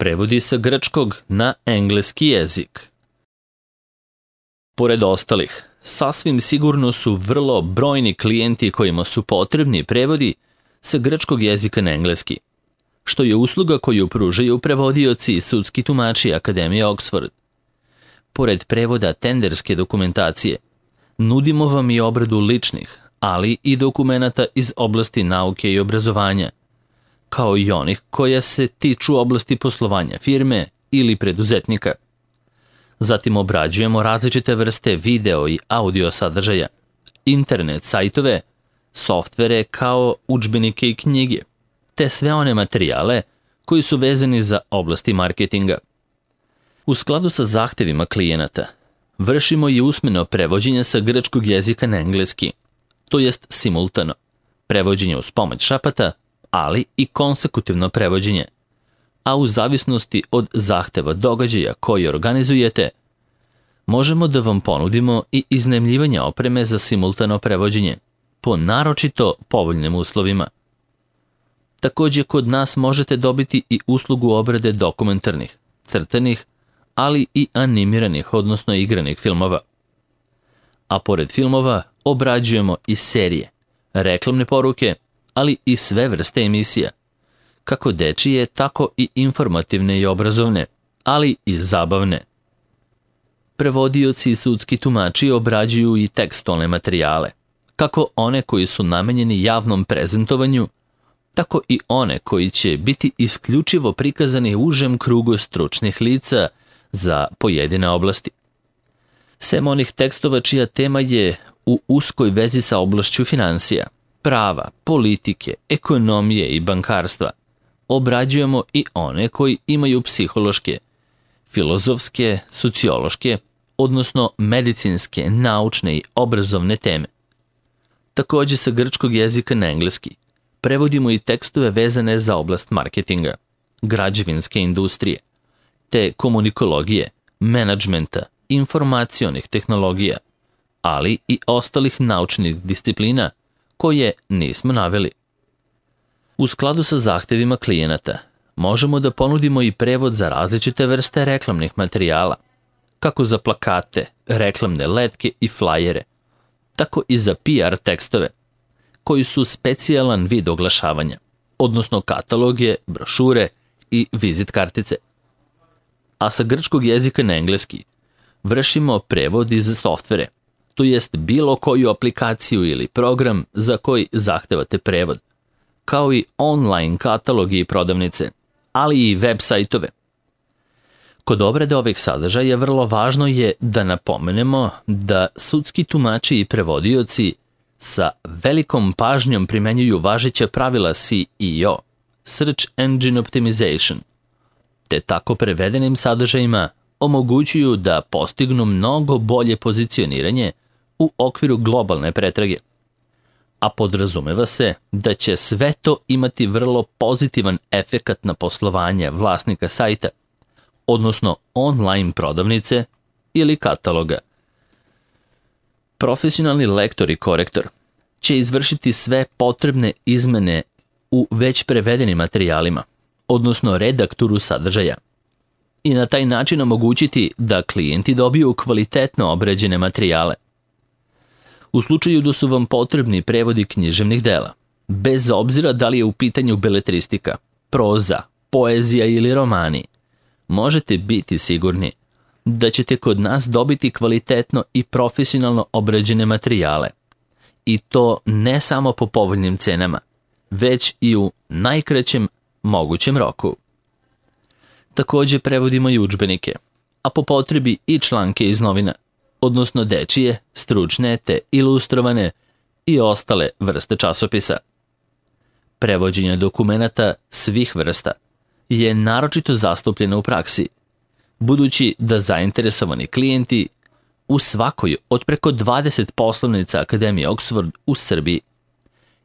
prevodi sa grčkog na engleski jezik. Pored ostalih, sasvim sigurno su vrlo brojni klijenti kojima su potrebni prevodi sa grčkog jezika na engleski, što je usluga koju pružaju prevodioci i sudski tumači Akademije Oxford. Pored prevoda tenderske dokumentacije, nudimo vam i obradu ličnih, ali i dokumenata iz oblasti nauke i obrazovanja, kao i onih koja se tiču oblasti poslovanja firme ili preduzetnika. Zatim obrađujemo različite vrste video i audio sadržaja, internet sajtove, softvere kao udžbenike i knjige, te sve one materijale koji su vezani za oblasti marketinga. U skladu sa zahtevima klijenata, vršimo i usmeno prevođenje sa grčkog jezika na engleski, to jest simultano, prevođenje uz pomoć šapata, ali i konsekutivno prevođenje, a u zavisnosti od zahteva događaja koji organizujete, možemo da vam ponudimo i iznajmljivanje opreme za simultano prevođenje po naročito povoljnim uslovima. Takođe, kod nas možete dobiti i uslugu obrade dokumentarnih, crtanih, ali i animiranih, odnosno igranih filmova. A pored filmova obrađujemo i serije, reklamne poruke, ali i sve vrste emisija, kako dečije, tako i informativne i obrazovne, ali i zabavne. Prevodioci i sudski tumači obrađuju i tekstualne materijale, kako one koji su namenjeni javnom prezentovanju, tako i one koji će biti isključivo prikazani užem krugu stručnih lica za pojedine oblasti. Sem onih tekstova čija tema je u uskoj vezi sa oblašću finansija, prava, politike, ekonomije i bankarstva, obrađujemo i one koji imaju psihološke, filozofske, sociološke, odnosno medicinske, naučne i obrazovne teme. Takođe sa grčkog jezika na engleski prevodimo i tekstove vezane za oblast marketinga, građevinske industrije, te komunikologije, menadžmenta, informacionih tehnologija, ali i ostalih naučnih disciplina koje nismo naveli. U skladu sa zahtevima klijenata, možemo da ponudimo i prevod za različite vrste reklamnih materijala, kako za plakate, reklamne letke i flajere, tako i za PR tekstove, koji su specijalan vid oglašavanja, odnosno kataloge, brošure i vizit kartice. A sa grčkog jezika na engleski vršimo prevod iz softvere, to jest bilo koju aplikaciju ili program za koji zahtevate prevod, kao i online katalogi i prodavnice, ali i web sajtove. Kod obrade ovih sadržaja vrlo važno je da napomenemo da sudski tumači i prevodioci sa velikom pažnjom primenjuju važeća pravila SEO, Search Engine Optimization, te tako prevedenim sadržajima omogućuju da postignu mnogo bolje pozicioniranje u okviru globalne pretrage. A podrazumeva se da će sve to imati vrlo pozitivan efekat na poslovanje vlasnika sajta, odnosno online prodavnice ili kataloga. Profesionalni lektor i korektor će izvršiti sve potrebne izmene u već prevedenim materijalima, odnosno redakturu sadržaja, i na taj način omogućiti da klijenti dobiju kvalitetno obrađene materijale. U slučaju da su vam potrebni prevodi književnih dela, bez obzira da li je u pitanju beletristika, proza, poezija ili romani, možete biti sigurni da ćete kod nas dobiti kvalitetno i profesionalno obrađene materijale. I to ne samo po povoljnim cenama, već i u najkraćem mogućem roku. Takođe prevodimo i udžbenike, a po potrebi i članke iz novina, odnosno dečije, stručne te ilustrovane i ostale vrste časopisa. Prevođenje dokumenata svih vrsta je naročito zastupljeno u praksi, budući da zainteresovani klijenti u svakoj od preko 20 poslovnica Akademije Oxford u Srbiji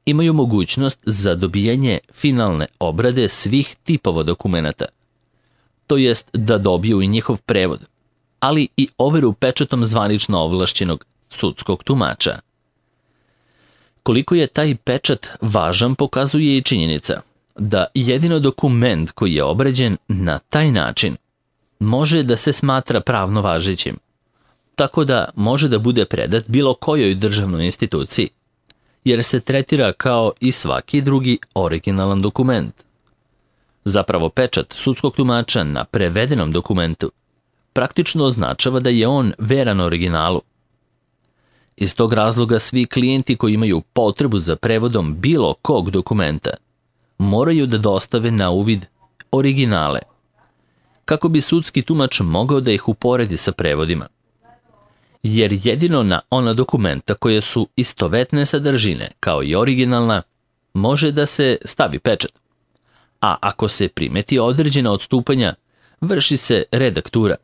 imaju mogućnost za dobijanje finalne obrade svih tipova dokumenata, to jest da dobiju i njihov prevod, ali i overu pečatom zvanično ovlašćenog sudskog tumača. Koliko je taj pečat važan pokazuje i činjenica da jedino dokument koji je obrađen na taj način može da se smatra pravno važećim, tako da može da bude predat bilo kojoj državnoj instituciji, jer se tretira kao i svaki drugi originalan dokument. Zapravo pečat sudskog tumača na prevedenom dokumentu praktično označava da je on veran originalu. Iz tog razloga svi klijenti koji imaju potrebu za prevodom bilo kog dokumenta moraju da dostave na uvid originale, kako bi sudski tumač mogao da ih uporedi sa prevodima. Jer jedino na ona dokumenta koje su istovetne sadržine, kao i originalna, može da se stavi pečat. A ako se primeti određena odstupanja, vrši se redaktura,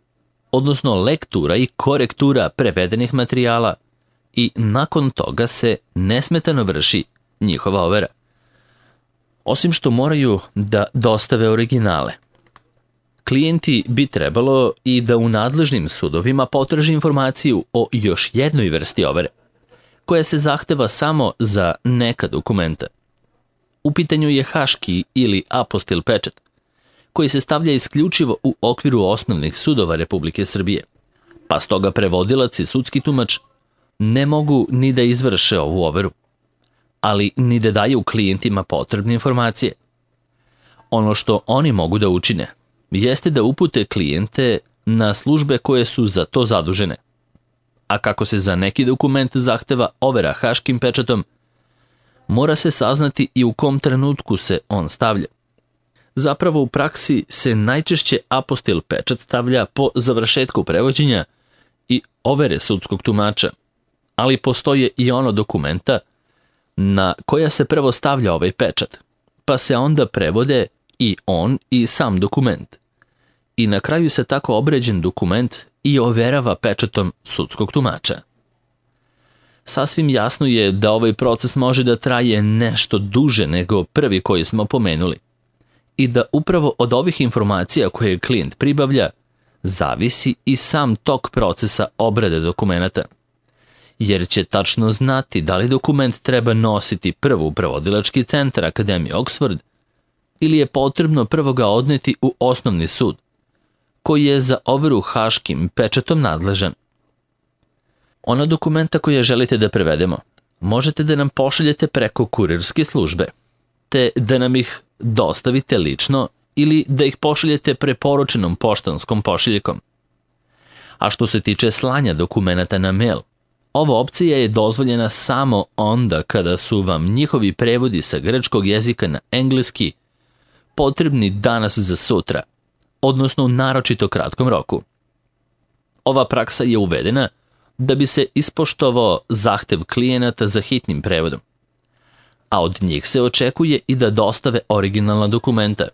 odnosno lektura i korektura prevedenih materijala i nakon toga se nesmetano vrši njihova overa. Osim što moraju da dostave originale, klijenti bi trebalo i da u nadležnim sudovima potraži informaciju o još jednoj vrsti overe, koja se zahteva samo za neka dokumenta. U pitanju je haški ili apostil pečat, koji se stavlja isključivo u okviru osnovnih sudova Republike Srbije, pa stoga prevodilac i sudski tumač ne mogu ni da izvrše ovu overu, ali ni da daju klijentima potrebne informacije. Ono što oni mogu da učine jeste da upute klijente na službe koje su za to zadužene. A kako se za neki dokument zahteva overa haškim pečatom, mora se saznati i u kom trenutku se on stavlja. Zapravo u praksi se najčešće apostil pečat stavlja po završetku prevođenja i overe sudskog tumača, ali postoje i ono dokumenta na koja se prvo stavlja ovaj pečat, pa se onda prevode i on i sam dokument. I na kraju se tako obređen dokument i overava pečatom sudskog tumača. Sasvim jasno je da ovaj proces može da traje nešto duže nego prvi koji smo pomenuli i da upravo od ovih informacija koje klijent pribavlja zavisi i sam tok procesa obrade dokumenata, jer će tačno znati da li dokument treba nositi prvo u prevodilački centar Akademije Oxford ili je potrebno prvo ga odneti u osnovni sud, koji je za overu haškim pečatom nadležan. Ona dokumenta koje želite da prevedemo, možete da nam pošaljete preko kurirske službe, te da nam ih dostavite lično ili da ih pošaljete preporučenom poštanskom pošiljkom. A što se tiče slanja dokumenata na mail, ova opcija je dozvoljena samo onda kada su vam njihovi prevodi sa grčkog jezika na engleski potrebni danas za sutra, odnosno u naročito kratkom roku. Ova praksa je uvedena da bi se ispoštovao zahtev klijenata za hitnim prevodom, a od njih se očekuje i da dostave originalna dokumenta,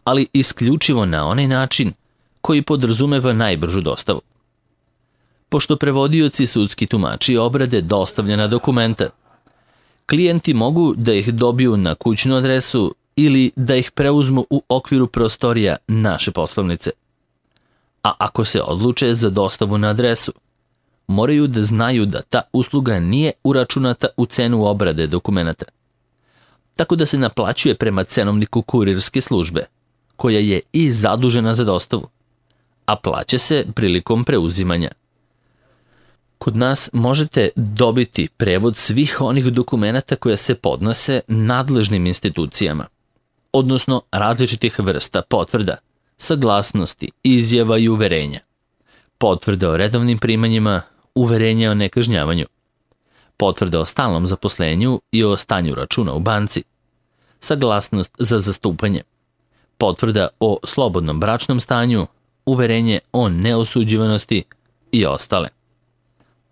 ali isključivo na onaj način koji podrazumeva najbržu dostavu. Pošto prevodioci sudski tumači obrade dostavljena dokumenta, klijenti mogu da ih dobiju na kućnu adresu ili da ih preuzmu u okviru prostorija naše poslovnice. A ako se odluče za dostavu na adresu, moraju da znaju da ta usluga nije uračunata u cenu obrade dokumenata, tako da se naplaćuje prema cenovniku kurirske službe, koja je i zadužena za dostavu, a plaća se prilikom preuzimanja. Kod nas možete dobiti prevod svih onih dokumenata koje se podnose nadležnim institucijama, odnosno različitih vrsta potvrda, saglasnosti, izjava i uverenja, potvrde o redovnim primanjima, uverenja o nekažnjavanju, potvrde o stalnom zaposlenju i o stanju računa u banci, saglasnost za zastupanje, potvrda o slobodnom bračnom stanju, uverenje o neosuđivanosti i ostale.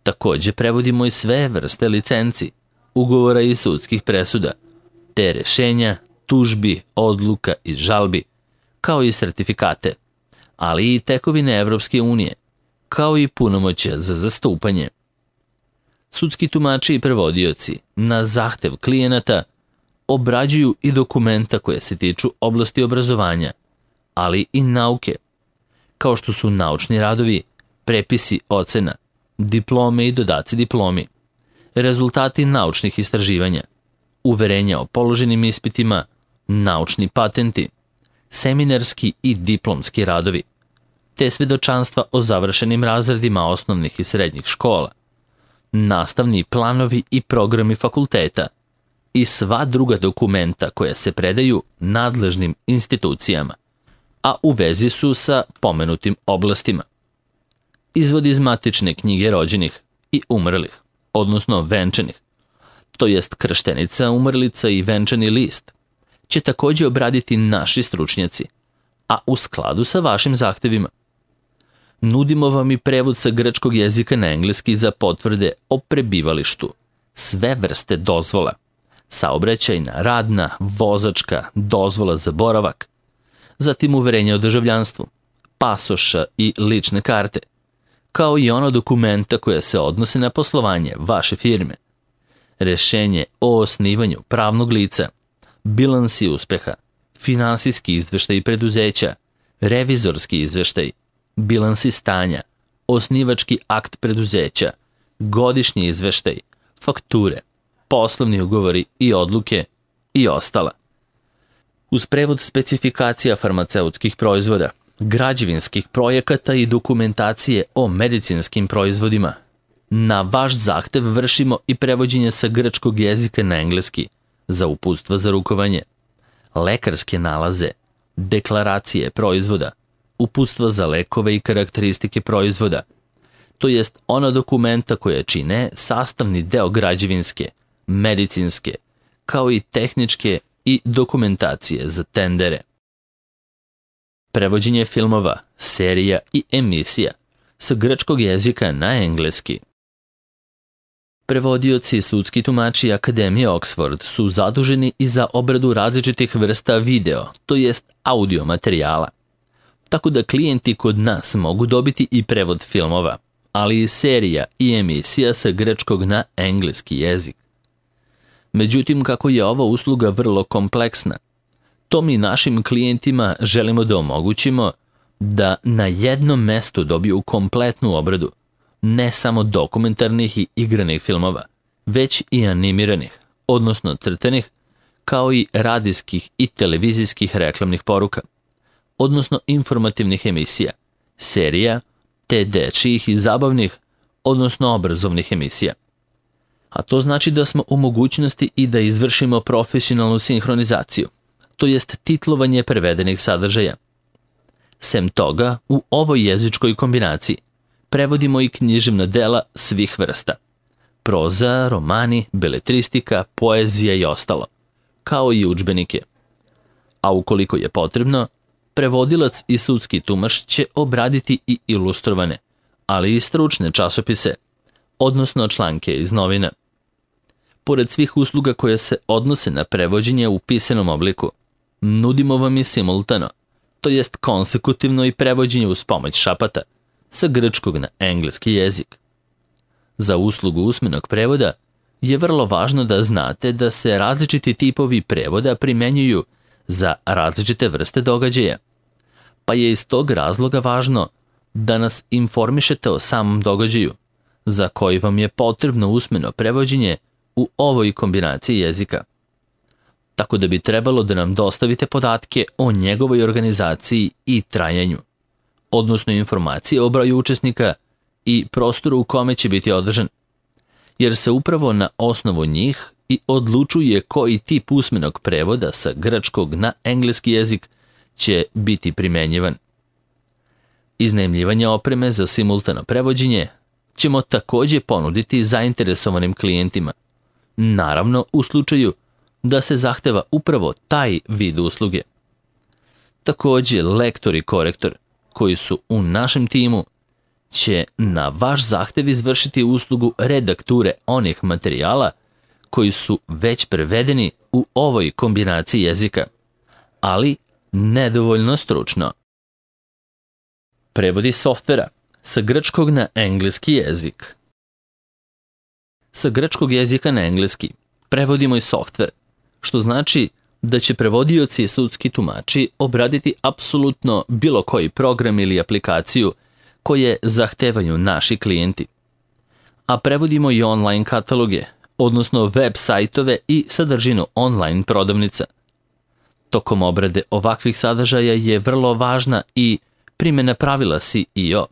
Takođe prevodimo i sve vrste licenci, ugovora i sudskih presuda, te rešenja, tužbi, odluka i žalbi, kao i sertifikate, ali i tekovine Evropske unije, kao i punomoćja za zastupanje. Sudski tumači i prevodioci na zahtev klijenata obrađuju i dokumenta koje se tiču oblasti obrazovanja, ali i nauke, kao što su naučni radovi, prepisi ocena, diplome i dodaci diplomi, rezultati naučnih istraživanja, uverenja o položenim ispitima, naučni patenti, seminarski i diplomski radovi, te svedočanstva o završenim razredima osnovnih i srednjih škola, nastavni planovi i programi fakulteta i sva druga dokumenta koja se predaju nadležnim institucijama, a u vezi su sa pomenutim oblastima. Izvod iz matične knjige rođenih i umrlih, odnosno venčanih, to jest krštenica, umrlica i venčani list, će također obraditi naši stručnjaci, a u skladu sa vašim zahtevima. Nudimo vam i prevod sa grčkog jezika na engleski za potvrde o prebivalištu, sve vrste dozvola, saobraćajna, radna, vozačka, dozvola za boravak, zatim uverenje o državljanstvu, pasoša i lične karte, kao i ono dokumenta koja se odnose na poslovanje vaše firme, rešenje o osnivanju pravnog lica, bilansi uspeha, finansijski izveštaj preduzeća, revizorski izveštaj, bilansi stanja, osnivački akt preduzeća, godišnji izveštaj, fakture, poslovni ugovori i odluke i ostala. Uz prevod specifikacija farmaceutskih proizvoda, građevinskih projekata i dokumentacije o medicinskim proizvodima, na vaš zahtev vršimo i prevođenje sa grčkog jezika na engleski za uputstva za rukovanje, lekarske nalaze, deklaracije proizvoda, uputstva za lekove i karakteristike proizvoda, to jest ona dokumenta koje čine sastavni deo građevinske, medicinske, kao i tehničke i dokumentacije za tendere. Prevođenje filmova, serija i emisija sa grčkog jezika na engleski. Prevodioci i sudski tumači Akademije Oxford su zaduženi i za obradu različitih vrsta video, to jest audio materijala. Tako da klijenti kod nas mogu dobiti i prevod filmova, ali i serija i emisija sa grčkog na engleski jezik. Međutim, kako je ova usluga vrlo kompleksna, to mi našim klijentima želimo da omogućimo da na jednom mestu dobiju kompletnu obradu, ne samo dokumentarnih i igranih filmova, već i animiranih, odnosno crtanih, kao i radijskih i televizijskih reklamnih poruka, odnosno informativnih emisija, serija, te dečijih i zabavnih, odnosno obrazovnih emisija. A to znači da smo u mogućnosti i da izvršimo profesionalnu sinhronizaciju, to jest titlovanje prevedenih sadržaja. Sem toga, u ovoj jezičkoj kombinaciji prevodimo i književna dela svih vrsta, proza, romani, beletristika, poezija i ostalo, kao i udžbenike. A ukoliko je potrebno, prevodilac i sudski tumač će obraditi i ilustrovane, ali i stručne časopise, odnosno članke iz novina. Pored svih usluga koje se odnose na prevođenje u pisanom obliku, nudimo vam i simultano, to jest konsekutivno i prevođenje uz pomoć šapata, sa grčkog na engleski jezik. Za uslugu usmenog prevoda je vrlo važno da znate da se različiti tipovi prevoda primenjuju za različite vrste događaja, pa je iz tog razloga važno da nas informišete o samom događaju, za koji vam je potrebno usmeno prevođenje u ovoj kombinaciji jezika. Tako da bi trebalo da nam dostavite podatke o njegovoj organizaciji i trajanju, odnosno informacije o broju učesnika i prostoru u kome će biti održan, jer se upravo na osnovu njih i odlučuje koji tip usmenog prevoda sa grčkog na engleski jezik će biti primenjivan. Iznajmljivanje opreme za simultano prevođenje ćemo također ponuditi zainteresovanim klijentima, naravno u slučaju da se zahteva upravo taj vid usluge. Također, lektor i korektor koji su u našem timu će na vaš zahtev izvršiti uslugu redakture onih materijala koji su već prevedeni u ovoj kombinaciji jezika, ali nedovoljno stručno. Prevodi softvera sa grčkog na engleski jezik. Sa grčkog jezika na engleski prevodimo i softver, što znači da će prevodioci i sudski tumači obraditi apsolutno bilo koji program ili aplikaciju koje zahtevaju naši klijenti. A prevodimo i online kataloge, odnosno web sajtove i sadržinu online prodavnica. Tokom obrade ovakvih sadržaja je vrlo važna i primjena pravila SEO,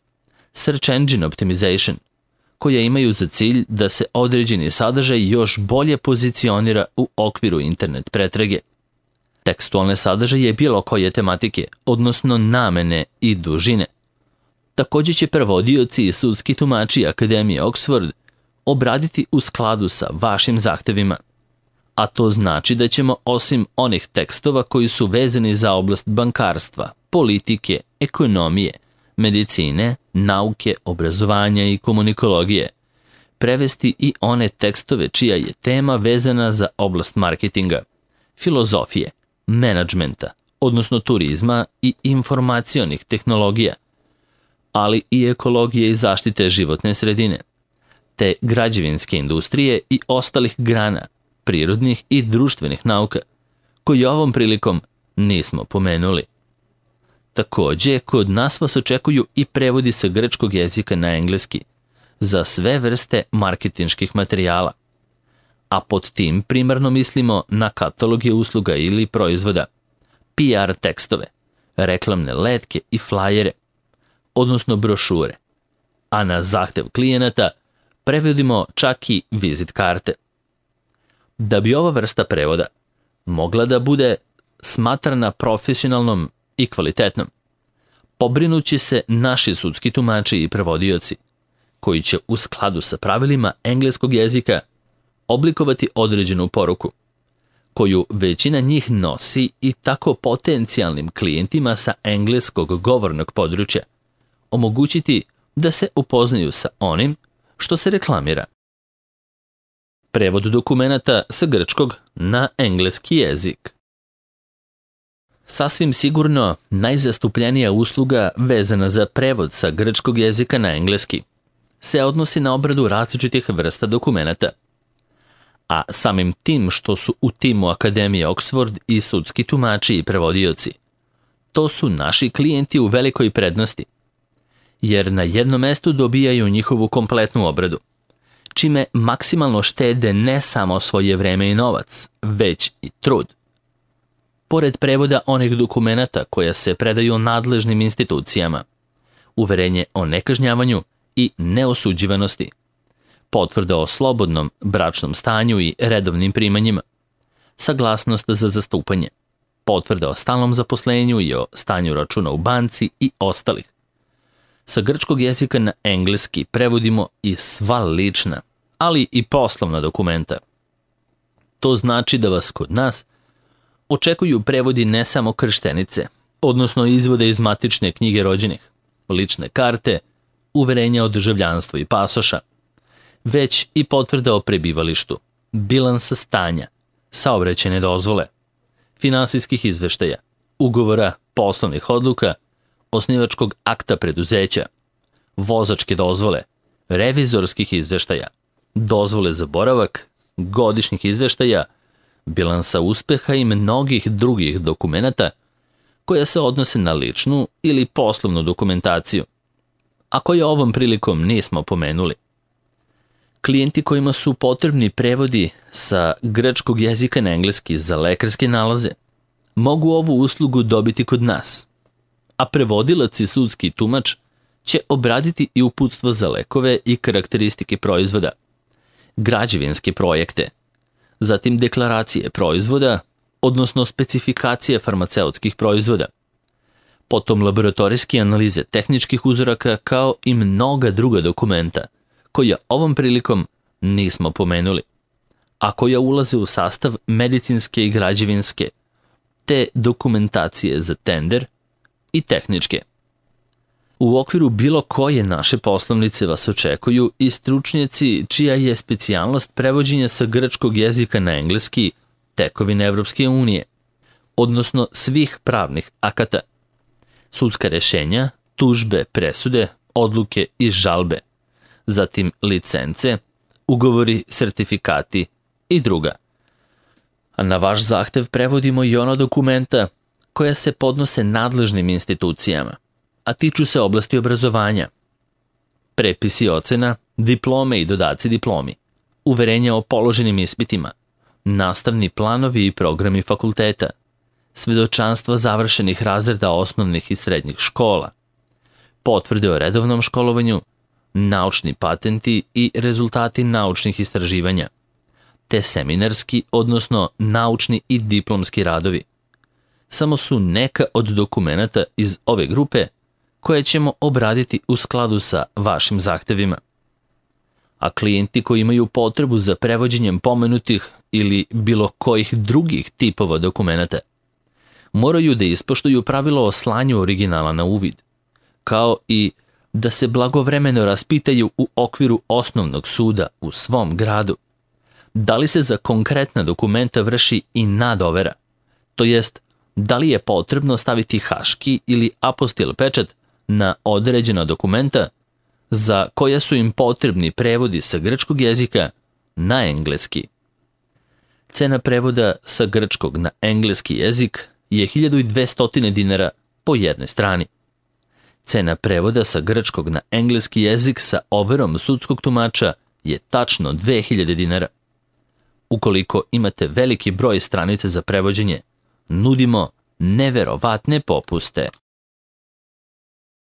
Search Engine Optimization, koja imaju za cilj da se određeni sadržaj još bolje pozicionira u okviru internet pretrage. Tekstualne sadržaje bilo koje tematike, odnosno namene i dužine. Također će prevodioci i sudski tumači Akademije Oxford obraditi u skladu sa vašim zahtevima. A to znači da ćemo osim onih tekstova koji su vezani za oblast bankarstva, politike, ekonomije, medicine, nauke, obrazovanja i komunikologije, prevesti i one tekstove čija je tema vezana za oblast marketinga, filozofije, menadžmenta, odnosno turizma i informacionih tehnologija, ali i ekologije i zaštite životne sredine, te građevinske industrije i ostalih grana, prirodnih i društvenih nauka, koje ovom prilikom nismo pomenuli. Također, kod nas vas očekuju i prevodi sa grčkog jezika na engleski za sve vrste marketinških materijala, a pod tim primarno mislimo na kataloge usluga ili proizvoda, PR tekstove, reklamne letke i flajere, odnosno brošure, a na zahtev klijenata prevodimo čak i vizit karte. Da bi ova vrsta prevoda mogla da bude smatrana profesionalnom i kvalitetnom, pobrinući se naši sudski tumači i prevodioci, koji će u skladu sa pravilima engleskog jezika oblikovati određenu poruku, koju većina njih nosi i tako potencijalnim klijentima sa engleskog govornog područja omogućiti da se upoznaju sa onim što se reklamira. Prevod dokumenata sa grčkog na engleski jezik. Sasvim sigurno najzastupljenija usluga vezana za prevod sa grčkog jezika na engleski se odnosi na obradu različitih vrsta dokumenata. A samim tim što su u timu Akademije Oxford i sudski tumači i prevodioci, to su naši klijenti u velikoj prednosti, jer na jednom mestu dobijaju njihovu kompletnu obradu, čime maksimalno štede ne samo svoje vreme i novac, već i trud. Pored prevoda onih dokumenata koja se predaju nadležnim institucijama, uverenje o nekažnjavanju i neosuđivanosti, potvrda o slobodnom bračnom stanju i redovnim primanjima, saglasnost za zastupanje, potvrda o stalnom zaposlenju i o stanju računa u banci i ostalih. Sa grčkog jezika na engleski prevodimo i sva lična, ali i poslovna dokumenta. To znači da vas kod nas očekuju prevodi ne samo krštenice, odnosno izvode iz matične knjige rođenih, lične karte, uverenja o državljanstvu i pasoša, već i potvrda o prebivalištu, bilansa stanja, saobraćajne dozvole, finansijskih izveštaja, ugovora, poslovnih odluka, osnivačkog akta preduzeća, vozačke dozvole, revizorskih izveštaja, dozvole za boravak, godišnjih izveštaja, bilansa uspeha i mnogih drugih dokumenata koja se odnose na ličnu ili poslovnu dokumentaciju, a koje ovom prilikom nismo pomenuli. Klijenti kojima su potrebni prevodi sa grčkog jezika na engleski za lekarske nalaze mogu ovu uslugu dobiti kod nas, a prevodilac i sudski tumač će obraditi i uputstvo za lekove i karakteristike proizvoda, građevinske projekte, zatim deklaracije proizvoda, odnosno specifikacije farmaceutskih proizvoda, potom laboratorijske analize tehničkih uzoraka kao i mnoga druga dokumenta koja ovom prilikom nismo pomenuli, a koja ulaze u sastav medicinske i građevinske, te dokumentacije za tender i tehničke. U okviru bilo koje naše poslovnice vas očekuju i stručnjaci čija je specijalnost prevođenja sa grčkog jezika na engleski tekovine Evropske unije, odnosno svih pravnih akata, sudska rešenja, tužbe, presude, odluke i žalbe, zatim licence, ugovori, sertifikati i druga. A na vaš zahtev prevodimo i ona dokumenta koja se podnose nadležnim institucijama, a tiču se oblasti obrazovanja, prepisi ocena, diplome i dodaci diplomi, uverenja o položenim ispitima, nastavni planovi i programi fakulteta, svedočanstva završenih razreda osnovnih i srednjih škola, potvrde o redovnom školovanju, naučni patenti i rezultati naučnih istraživanja, te seminarski, odnosno naučni i diplomski radovi. Samo su neka od dokumenata iz ove grupe koje ćemo obraditi u skladu sa vašim zahtevima. A klijenti koji imaju potrebu za prevođenjem pomenutih ili bilo kojih drugih tipova dokumenata moraju da ispoštuju pravilo o slanju originala na uvid, kao i da se blagovremeno raspitaju u okviru osnovnog suda u svom gradu da li se za konkretna dokumenta vrši i nadovera, to jest da li je potrebno staviti haški ili apostil pečat na određena dokumenta za koja su im potrebni prevodi sa grčkog jezika na engleski. Cena prevoda sa grčkog na engleski jezik je 1200 dinara po jednoj strani. Cena prevoda sa grčkog na engleski jezik sa overom sudskog tumača je tačno 2000 dinara. Ukoliko imate veliki broj stranica za prevođenje, nudimo neverovatne popuste.